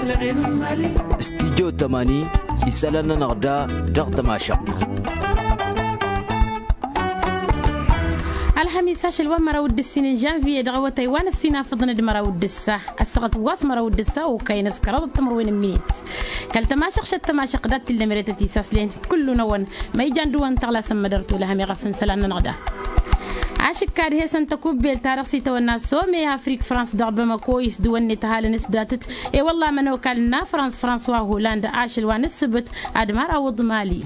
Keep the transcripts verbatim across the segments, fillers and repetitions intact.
Studyo tămani isălan-nănăɣ da dăɣ-tămašăɣt. Ălxămis ašăl wa n-măraw d-ǝssin n-žănviye dăɣ-awătay wa n-ǝssin afǝḍăn d-măraw d-ǝssa ăssaɣăt wa s-măraw d-ǝssa okăyăn s-kăraḍăt timǝrwen n-minit. Kăl-tămašăɣšăt tămašăɣt dat-t-illa meret ad-t-isaslăyăn kullu-năwăn ma ijan dăɣ-wăn tăɣlasăn mădăr tolăhăm iɣăf n-isălan-nănăɣ da. Ašǝkka ad-hesăn tăkubbelt-ta-dăɣ s-itawănna some afrik frans dăɣ-bamăko isdǝwăn-net ăhalăn s-datăt. I-wălla ămănokal n-afrans frans wa holand ašăl wa n-ǝssǝbǝt ad-mărawăḍ mali.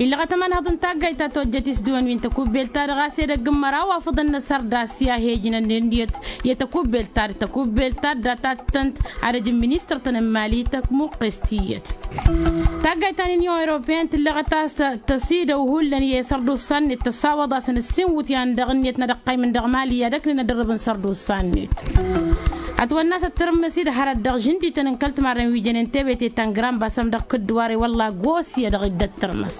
Illăɣăt ămanhăḍ n-taggayt ta tojjăt isdǝwăn wi n-tăkubbelt-ta-dăɣ a-s edăgg n-măraw afǝḍăn n-asărdas i-ad-he-ǝjnănnen iyyăt i-tăkubbelt-ta-dăɣ tăkubbelt-ta-dăɣ data-tăn-t ad-ăj n-ministăr-tăn n-mali tămuqqes tiyyăt. Taggayt ta n-unyon europeyăn tǝlleɣăt a-s tăsidăw hullan i-sărdusa-net tăsawăḍ-asăn ǝssin iwǝtyan-dăɣ ǝnniyăt n-ad-ăqqaymǝn dăɣ-mali i-ad-ăknen ad-ărrǝbăn sărdusa-net. Ătwănna a-s ăttărǝmmǝs-i d-hărăt dăɣ-žǝndităn n-kăl-timarren wi jănen tebete ta n-grănbasăm dăɣ-kǝddǝwar i-wălla gos iyyădăɣ-dd ăttărǝmmǝs.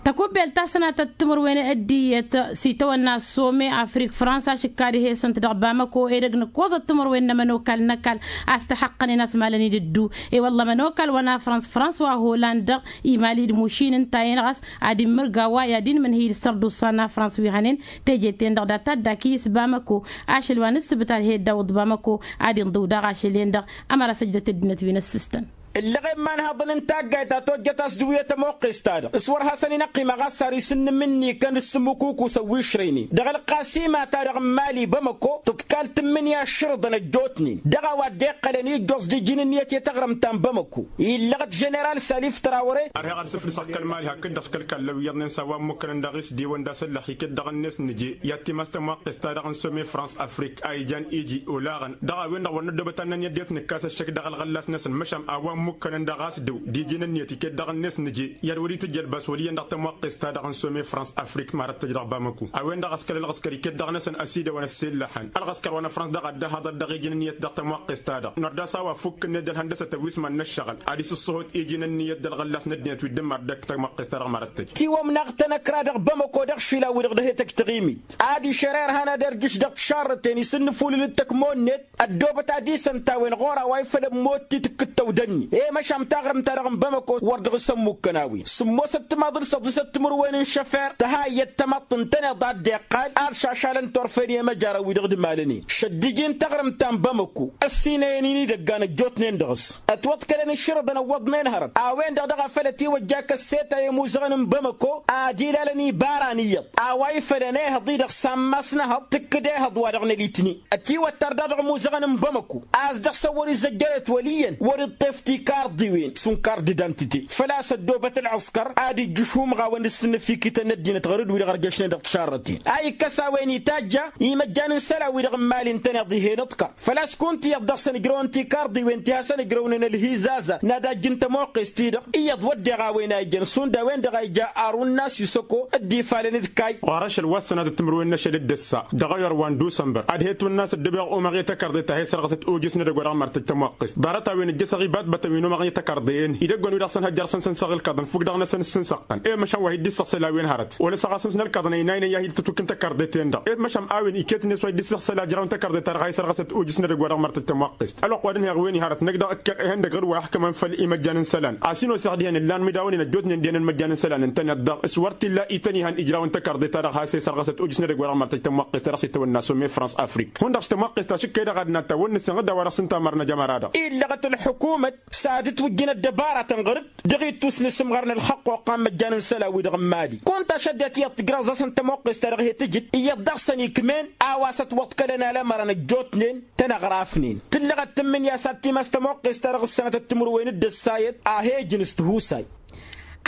Tăkubbelt ta s-sănatăt timǝrwen d-iyyăt s-itawănna some afrik frans ašǝkka ad-he-săn-t dăɣ-bamăko edăgg nǝkkoẓăt timǝrwen n-ămănokal n-ăkall a-s tăhăqqănen a-s malăn-dd ǝddu. I-wălla ămănokal wa n-afrans frans wa holand-dăɣ imali d-mušin ǝnta-en ɣas ad-immǝrga wa i-ad-inmǝnhǝy d-sărdusa n-afrans wi hănen teje-ten-dăɣ data dd-akǝyǝs bamăko. Ašăl wa n-ǝssǝbǝt ad-he-dd-awǝḍ bamăko ad-inḍǝw daɣ ašăl-en-dăɣ. Ămăra săjdăt ăddinăt wi n-ăssǝstăn. Ǝllăɣen imanhăḍăn n-taggayt ta tojjăt a-s dăɣ-wi i-tămoqqest-ta-dăɣ s-wăr hasăn-in-ăqqim aɣassar isǝnnǝm-ǝnni kăn d-sǝmmǝkukusăn wi ǝšrăynen dăɣ-ălqasima-ta-dăɣ n-mali bamăko tǝḍkal tǝmmǝnǝya ašrǝḍăn ăjjootnen dăɣ-a-wa dd-iqqălăn ijjoẓ d-iji n-ǝnniyăt i-taɣrǝmt ta n-bamăko. Illăɣăt ženeral salif trawre. Ărheɣ ad-sǝflǝsăɣ kăl-mali hakd-dăɣ s-kăl-kallăn wi iyyăḍnen s-a-wa ǝmmukănăn dăɣ-i s-dewăn d-asăllăx iket-dăɣ-net nǝje i-ad-timas tămwaqqest-ta-dăɣ n-some frans afrik a ijan iji olaɣăn dăɣ-a-wen-dăɣ wăr năddoobăt ad-năn i-ăddinăt nǝkkas ăššăk dăɣ-ălɣăllas-năsăn măšan a-wa ǝmmukănăn dăɣ-a-s dăw d-iji n-ǝnniyăt iket-dăɣ-net nǝje i-ad-wăr-itǝjj ălbas wăl' iyyăn dăɣ-tămwaqqest-ta-dăɣ n-some frans afrik marăt-tăj dăɣ-bamăko. A-wen-dăɣ a-s kăl-ălɣăskăr iket dăɣ-năsăn ăsidăwăn ăssellăxăn ălɣăskăr wa n-afrans dăɣ-a dd-ăhaḍăt dăɣ-iji n-ǝnniyăt dăɣ-tămwaqqest-ta-dăɣ nărdăs a-wa ăfukk ǝnned ălhăndăsăt ăwis iman n-ăššăɣǝl ad-isǝṣṣăhut iji n-ǝnniyăt d-ălɣăllas n-ăddinăt wi dd-ǝmmar dăgg-tămwaqqest-ta-dăɣ marăt-tăj. Tiwămnaɣ tănăkra dăɣ-bamăko dăɣ-išilan-wi-dăɣ dăɣ-he-tăj taɣimit ad-išăr irhan ad-irjǝš dăɣ-tišarrăten isǝnnǝfulǝl d-tăkmonned ăddoobăt ad-isăn-t a-wen ɣur-a-wa ifăl ămmotti tǝkkǝd tăwdănni i-măšan taɣrǝmt-ta-dăɣ n-bamăko wăr dăɣ-s ămmukkăn a-wen sǝmmosăt timaḍ d-săḍisăt timǝrwen n-šăfer tăhayyăt tamăḍt ǝntăneḍ a dd-iqqal ad-šašalăn turfen i-imăjarăn-wi-dăɣ d-imalănen šăddiji n-taɣrǝmt ta n-bamăko ăssinăyăn-in idăggan ăjjootnen dăɣ-s ătwăḍkălăn išrǝḍăn ăwwăḍnen hărăt a-wen-dăɣ dăɣ-a făl ătiwăjja kăsseta i-imuzăɣăn n-bamăko ad-ilalăn ibara n-iyyăḍ a-wa ifălăn ehăḍ-i-dăɣ sammas n-ehăḍ tǝkkǝd ehăḍ wa dăɣ-nălitni ătiwăttar daɣ dăɣ-imuzăɣăn n-bamăko a-s dăɣ-săn wăr-izzăjjăret wăl' iyyăn wăr-iṭṭef tikarḍiwen šund kart d-identite făl-a-s ăddoobăt ălɣăskăr ad-ijjǝš umɣawăn d-ǝssǝnnǝfikităn n-ăddinăt ɣur-dd wi-dăɣ ărjăšnen dăɣ-tišarrăten a ikkăs a-wen itajja imăjjan n-isălan-wi-dăɣ n-imali ǝntăneḍ ih'-en ǝḍkăr făl-a-s kunta iyyăḍ dăɣ-săn ǝjrăwăn tikarḍiwen ti hasăn-ǝjrăwnen ălhizaza n-ad-ajj n-tămoqqest-ti-dăɣ iyyăḍ wădden a-wen a ijăn šund a-wen-dăɣ a ija arun n-asisăko dd-ifalăn d-kayy. Ɣur-ašăl wa s-sănatăt timǝrwen n-ašăl d-ǝssa dăɣ-ayăr wa n-dd-usănbăr ad-he-twănna a-s ăddăbeɣ omăɣ i-tăkarḍe ta he-sărɣăsăt ojǝs n-edăgg wa dăɣ-mărtăj tămoqqest ḍarăt-a-wen ǝjjăsăɣ ibatbatăn wi n-omăɣ i-tăkarḍe-en idăgg-wen-wi-dăɣ săn hăjjar săn săn-săɣ ǝlkaḍăn fukk dăɣ-năsăn s-săn-săɣ-tăn i-măšan wa hi-dd-issăɣsăl a-wen hărăt wăla s-ăɣasăn s-nălkaḍăn ăynaynen i-ad-hi-tǝtwǝk n-tăkarḍe-ten-dăɣ i-măšan a-wen iket-net wa hi-dd-issăɣsăl a ǝjraw n-tăkarḍe-ta-dăɣ a isărɣăsăt ojǝs n-edăgg wa dăɣ-mărtăj tămoqqest ălwăqq wa dăɣ-nǝheɣ wen-i hărăt năkk dăɣ-ǝkkăl ehăndăg ɣǝr wa ixkămăn făll-imăjjan n-isălan a-s hin-oseɣ dihen ǝllan imidawăn-in ăjjootnen dihen n-imăjjan n-isălan ǝntăneḍ-dăɣ s-wăr t-illa ităn ihăn ijraw n-tăkarḍe-ta-dăɣ has-e-sărɣăsăt ojǝs n-edăgg wa dăɣ-mărtăj tămwaqqest ta dăɣ-s itawănna some frans afrik hundăɣ s-tămwaqqest ta šǝkkăy dăɣ-ad-na tawănnăsen d-a-wa dăɣ-s ǝnta a mărnăj ămăra-dăɣ. Illăɣăt ălḥukumăt s-ad-ǝtwǝjjǝn ăddăbara-tăn ɣăr-dd dăɣ-ittus n-asǝmɣar n-ălxăqqoq a n-imăjjan n-isălan-wi-dăɣ n-mali kunta šăddăt iyyăḍ tǝjraẓ-asăn tămoqqest-ta-dăɣ he-tǝjǝd iyyăḍ dăɣ-săn ikm'-en a-wa s-ătwăḍkălăn alămărăn ăjjootnen tăn-ăɣrafnen tǝllăɣăt tǝmmǝnǝya s-ad-timas tămoqqest-ta-dăɣ s-sănatăt timǝrwen d-ăssayăt a he-ijǝn s-tihusay.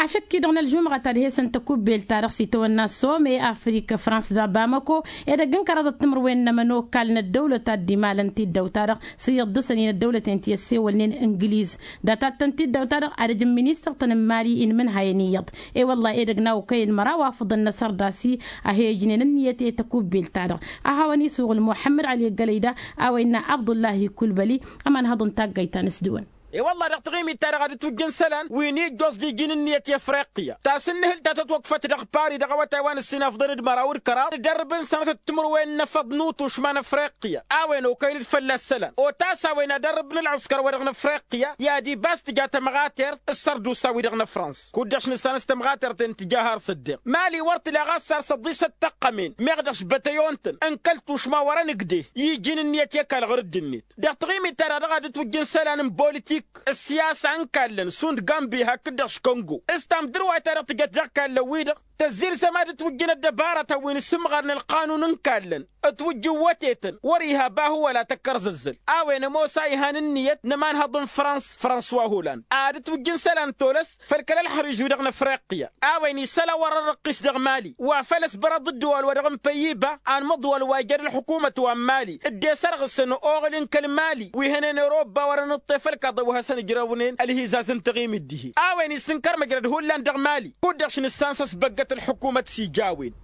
Ašăk-i-dăɣ n-ălžumɣăt ad-he-săn tăkubbelt-ta-dăɣ s-itawănna some afrik frans dăɣ-bamăko edăgg n-kăraḍăt timǝrwen n-ămănokal n-ăddăwlăt ad-dd-imalăn tiddaw-ta-dăɣ s-iyyăḍ dăɣ-săn-in ăddăwlăten ti ăssewălnen ǝngǝliz data-tăn tiddaw-ta-dăɣ ad-ăj n-ministăr-tăn n-mali inmǝnhayăn iyyăḍ. I-wălla edăgg n-a okăyăn măraw afǝḍăn n-asărdas-i a he-ǝjnen ǝnniyăt i-tăkubbelt-ta-dăɣ a hawăn-isuɣǝl muḥămmăd ăli gălăyda a-wa innă abdullahi kulbăli ămanhăḍ n-taggayt ta n-ǝsdǝwăn. E-wălla-hi dăɣ-taɣimit-ta-dăɣ a dd-twǝjjǝn isălan wi n-ijjoẓ d-iji n-ǝnniyăt i-afriqya ta s-ǝnnǝhǝl ta tătwăkfăt dăɣ-pari dăɣ-awătay wa n-ǝssin afḍăn d-măraw d-kăraḍ d-ărrǝb n-sănătăt timǝrwen n-efăḍ n-utušma n-afriqya a-wen okăyăn-dd fălla-s isălan otas a-wen ad-ărrǝb n-ălɣǝskăr-wa-dăɣ n-afriqya i-ad-ibas tǝja tămɣatert s-sărdusa-wi-dăɣ n-ăfrans kud-dăɣ-s nǝssan s-tămɣatert i-ǝntǝja har s-ăddeɣ mali wăr tǝla ɣas ar săḍisăt tăqqămen meɣ dăɣ-s bătăyon-tăn n-kăl-tušma wăr-ănǝgdeh i-iji n-ǝnniyăt i-ăkall ɣur-dd-net. Dăɣ-taɣimit-ta-dăɣ dăɣ-a dd-twǝjj n-isălan n-politik ǝssiyasa n-kallăn šund gambi hakd-dăɣ s-kongo s-tamdǝrwayt ta dăɣ-tǝjăt dăɣ-kallăn-wi-dăɣ tăzzilzăm a dd-twǝjjǝn ăddăbaratăn wi n-asǝmɣar n-ălqanun n-kallăn ǝtwǝjj iwwătetăn wăr-iha bahu wăla tăkkărzăzzăl a-wen ămoos a ihan ǝnniyăt n-ămanhăḍ n-frans françois holand a dd-twǝjj n-isălan tolăs făll-kăl-ălxăriž-wi-dăɣ n-afriqya a-wen isălan wăr-ărrăqqis dăɣ-mali wa făl ăsbărăḍ ǝddǝwal-wa-dăɣ n-păyyiba anmăḍwal wa ija d-ălxukumăt wa n-mali dd-e-sărɣǝsăn oɣǝl n-kăl-mali wi hănen ăroba wăr-ănǝṭṭef ălkaḍăn wi hasăn-ǝjrăwnen ălhizaz n-taɣimit dihen a-wen isǝnkăr măjrăd hullan dăɣ-mali kud-dăɣ š-nǝssan s-ăsbăggăt ălxukumăt s-ija a-wen.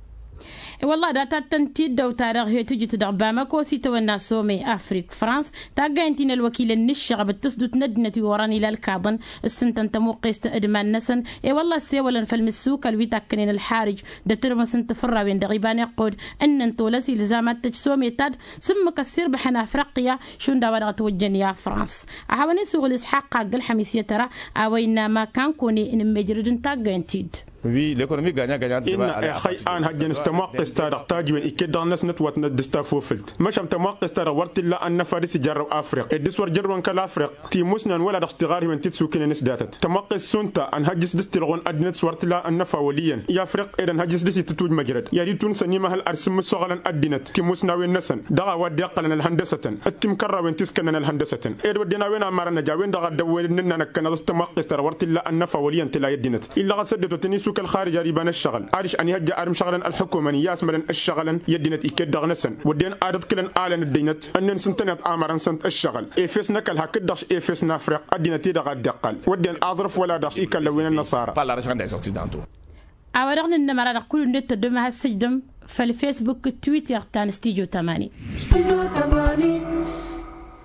I-wălla datăt-tăn-t-dd-ăw-ta-dăɣ he-tǝjǝt dăɣ-bamăko s-itawănna some afrik frans taggayăn-t-in ălwăkilăn n-ǝššăɣăb d-tǝsdut n-ăddinăt wi orăn ila ălkaḍăn ǝssǝntăn tămuqqest d-iman-năsăn. I-wălla ăssewălăn făll-mǝssukăl wi takkănen ălxarǝj d-atǝrmǝs n-tifǝrrawen dăɣ-iba n-iqqud ǝnnăn tolăs ilzam ad-t-tăj some-ta-dd s-ǝmmǝk ăssirbăḥăn afriqya šund a-wa dăɣ-ătwăjjăn i-afrans. A hawăn-e-s uɣǝl isxaqq agg-ălxămis i-tăra a-wa innă makan kăwăn-e-nǝmmejrăd n-taggayăn-t-dd. Wi l-ekonomi ganya ganya. Innă ixăy a ănhăjjăn s-tămoqqest-ta-dăɣ tajǝwen iket dăɣ-năsnăt wa tnădd-s tafofǝlt măšan tămoqqest-ta-dăɣ wăr t-illa ănnăfa dăɣ-s ijarrăw afriq ed dăɣ-s wăr jărrăwăn kăl-afriq timusnan wăla dăɣ-s tiɣarhiwen ti t-sukǝnen s-datăt tămoqqest šund ta ănhăjj s-dăɣ-s tilɣun ăddinăt s-wăr t-illa ănnăfa wăl' iyyăn i-afriq ed ănhăjj s-dăɣ-s itǝtwǝj măjrăd i-ad-itun s-ănimăhăl ar s-ǝmmǝssoɣălăn ăddinăt timusnawen-năsăn dăɣ-a-wa dd-iqqălăn ălhăndăsătăn d-timkărrawen ti s-kănnăn ălhăndăsătăn ed wădden a-wen amărăn ăj a-wen-dăɣ a dd-ăwwelăd n-ǝnnan ăkkăneḍ s-tămoqqest-ta-dăɣ wăr t-illa ănnăfa wăl' iyyăn tǝla i-ăddinăt illăɣăt s-ăddinăt wa tăn-isuk ălxarij ar iba n-ǝššăɣǝl adiš ănihăjja ar ǝmšăɣǝlăn ălḥukumăn iyyă a-s mălăn ǝššăɣǝlăn i-ăddinăt iket dăɣ-năsăn wădden ad-ǝḍkǝlăn alăn ăddinăt ǝnnin s-ǝntăneḍ amărăn-săn ǝššăɣǝl efes n-ăkall hakd-dăɣ efes n-afriq ăddinăt-i-dăɣ a dd-iqqăl wădden aẓrǝf wăla dăɣ-s ikallăn wi n-ănnăṣara. A-wa dăɣ-nǝnnămăra dăɣ-kull-net tăddom ad-has-sǝjdăm făll-fesbuk d-twitter ta n-stijo tămani.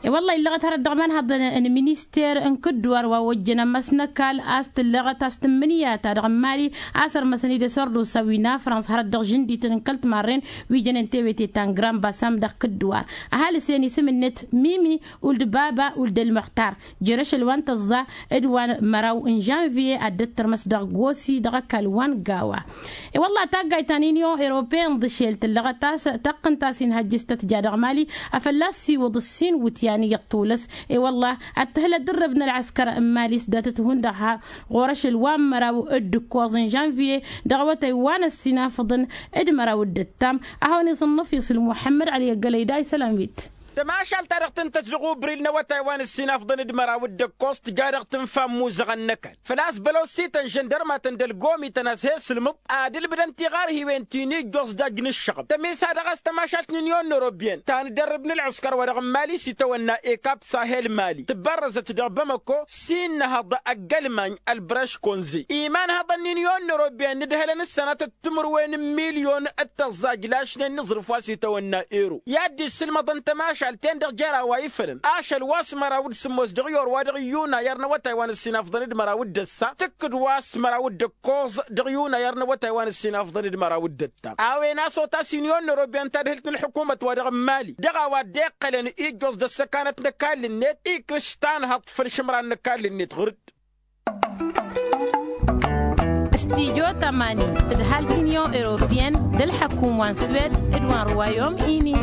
I-wălla illăɣăt hărăt dăɣ-imanhăḍăn n-minister n-kǝddǝwar wa ojjăn ămmas n-ăkall a-s tǝllăɣăt a-s tǝmmǝnǝya-ta-dăɣ n-mali a-s ărmăsăn-dd asărdusa wi n-afrans hărăt dăɣ-žǝndităn n-kăl-timarren wi jănen tewete ta n-grand bassam dăɣ-kǝddǝwar. Ăhalǝs-en isǝm-net mimi uld baba uld ălmăxtar jer-ašăl wa n-tăẓẓa d-wa n-măraw n-žănviye ad-dd-tărmăs dăɣ-gosi dăɣ-ăkall wa n-gawa. I-wălla taggayt ta n-inyon europeen ḍǝšel tǝllăɣăt a-s tăqqǝnt a-s inhăjjǝs tăt-ja dăɣ-mali afăl a-s iwǝḍ ǝssin wǝtyan iyyăḍ tulăs. I-wălla ad-tǝhǝlăd dd-ărrăb n-ălɣăskăr n-mali s-datăt hundăɣ ha ɣur-ašăl wa n-măraw d-ǝkkoẓ n-žănviye dăɣ-awătay wa n-ăssinafăḍăn d-măraw d-ǝttam. A hawăn-isǝnnǝf isǝl muḥămmăd ăli ăggălăy da isălan-wit. Tămašalt-ta-dăɣ tǝntăt dăɣ-ubril n-awătay wa n-ǝssinafḍăn d-măraw d-ǝkkoẓ tǝja dăɣ-tǝnfa n-imuzăɣăn n-ăkall făl-a-s bălosităn žăndărmatăn d-ălgomităn a-s he-sǝlmǝḍ ad-ǝlbǝdăn tiɣarhiwen ti n-ijjoẓ dajj n-ǝššăɣăb tămisa dăɣ-a-s tămašalt n-inyon n-ewropyen ta n-dd-ărrǝb n-ălɣǝskăr wa dăɣ-n mali s-itawănna ekap sahel mali tǝbbărrăzăt dăɣ-bamăko s-innăhăḍ ăgg-ălmany ălbrăš konze imanhăḍăn n-inyon n-ewropyen n-ǝdhălăn s-sănatăt timǝrwen n-milyon d-tăẓẓaj lašnen n-aẓrǝf wa s-itawănna ero i-ad-dd-issǝlmăḍăn tămašalt-ten-dăɣ jer-a-wa ifălăn ašăl wa s-măraw d-sǝmmos dăɣ-i or wa dăɣ-iyunayăr n-awătay wa n-ǝssinafḍăn d-măraw d-ăssa tǝkkǝd wa s-măraw d-ǝkkoẓ dăɣ-iyunayăr n-awătay wa n-ǝssinafḍăn d-măraw d-ăttam. A-wen a-s otas inyon n-ewropyen tadhǝlt n-ălḥukumăt wa dăɣ-n mali dăɣ-a-wa dd-iqqălăn ijjoẓ d-ăssăkanăt n-ăkall-net ikrǝš tanhăḍt făll-išǝmran n-ăkall-net ɣur-dd. Stijo tămani tǝdhal tinyon europyen d-ălḥăkum wa n-swed d-wa n-ruwayom ini.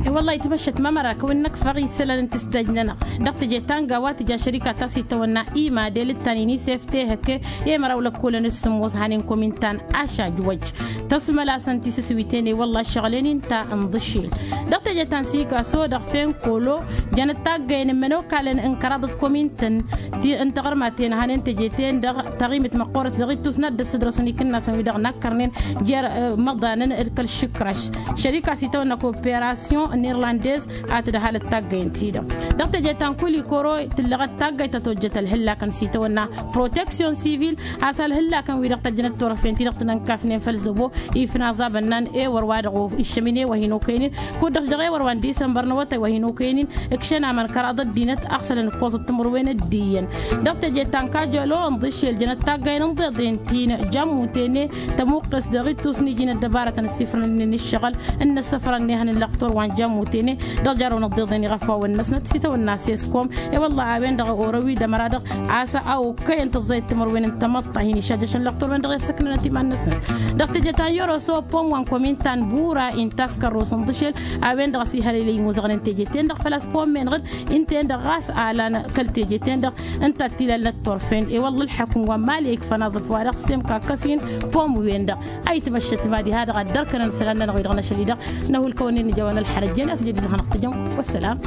I-wăllah itmăššăt mamăra kăwăn-năkfăɣ isălan n-tǝsdăj-nănăɣ dăɣ-teje ta n-gawa tǝja šărika ta s-itawănna imadel d-tanin isef tehăke i-măraw lăkkolăn d-sǝmmos hanen komin ta n-ašajwăj. Tăsmălasăn tisǝswiten i-wălla ăššăɣǝl-en-in ta n-iḍǝššel dăɣ-teje ta n-sigaso dăɣ-fenkolo. Jănăt taggăyăn n-imănokalăn n-kăraḍăt komin-tăn ti n-taɣărmaten hanen teje-ten-dăɣ taɣimit măqqoorăt dăɣ-ittus n-ad-dd-ăssădrăsăn ikǝnnasăn wi-dăɣ n-akkărnen jer-imăḍanăn d-kăl-išǝkraš. Šărika s-itawănna koperasyon n-irlandez a tǝdhal d-taggăyăn-ti-dăɣ. Dăɣ-teje ta n-kulikoro tǝllăɣăt taggăyt ta tojjăt ălhǝllakăn s-itawănna proteksyon sivil, a-s ălhǝllakăn-wi-dăɣ tăjjănăt turăfen-ti-dăɣ tǝnănkafnen făll-zăbo ifnaẓ abănnan ewăr wa dăɣ-iššăminen wa hin-okăynen. Kud-dăɣ dăɣ-ewăr wa n-disămbăr n-awătay wa hin-okăynen. Ǝkšăn aman kăraḍăt dinăt aɣsălăn ǝkkoẓăt timǝrwen dd-iyyăn. Dăɣ-teje ta n-kajolo ǝnḍǝššel jănăt taggăyăn ǝnḍeḍen ti n-jammuten tămuqqes dăɣ-ittus n-iji n-ăddăbarătăn ăssifrănen ǝššăɣǝl n-inǝssăfrăn n-ehăn n-lăqtor wa n-jammuten. Dăɣ-jarrăwăn ăḍḍeḍen iɣăfawăn-năsnăt s-itawănna seskom. I-wălla a-wen-dăɣ orăw-i d-ămăra-dăɣ a-s a okăyăn tăẓẓayăt timǝrwen n-tamăḍt a hin-išajjăšăn lăqtor-wen-dăɣ i-ăssăknănăt iman-năsnăt. Dăɣ-teje ta n-yoroso pom wa n-komin ta n-bura inta a-s kărros ǝnḍǝšel a-wen-dăɣ a-s ihălăylăy imuzăɣnen teje-ten-dăɣ făl-a-s pom-en-dăɣ. Ǝnta-en-dăɣ ɣas a lan kăl-teje-ten-dăɣ ǝnta a t-ilalnăt turfen i-wălla ǝlḥăkǝm wa n-mali ikfăn aẓǝf-wa-dăɣ s-emk akkăs-in. Pom-wen-dăɣ a itmăššăt mad-iha-dăɣ a dd-ărkănăn isălan-nănăɣ-wi-dăɣ n-ašăl-i-dăɣ. Năhu ǝlkăwăn-in ija wa n-ălxărăt jen a-s jădid hanăɣ-tǝjăm. Wăssălam.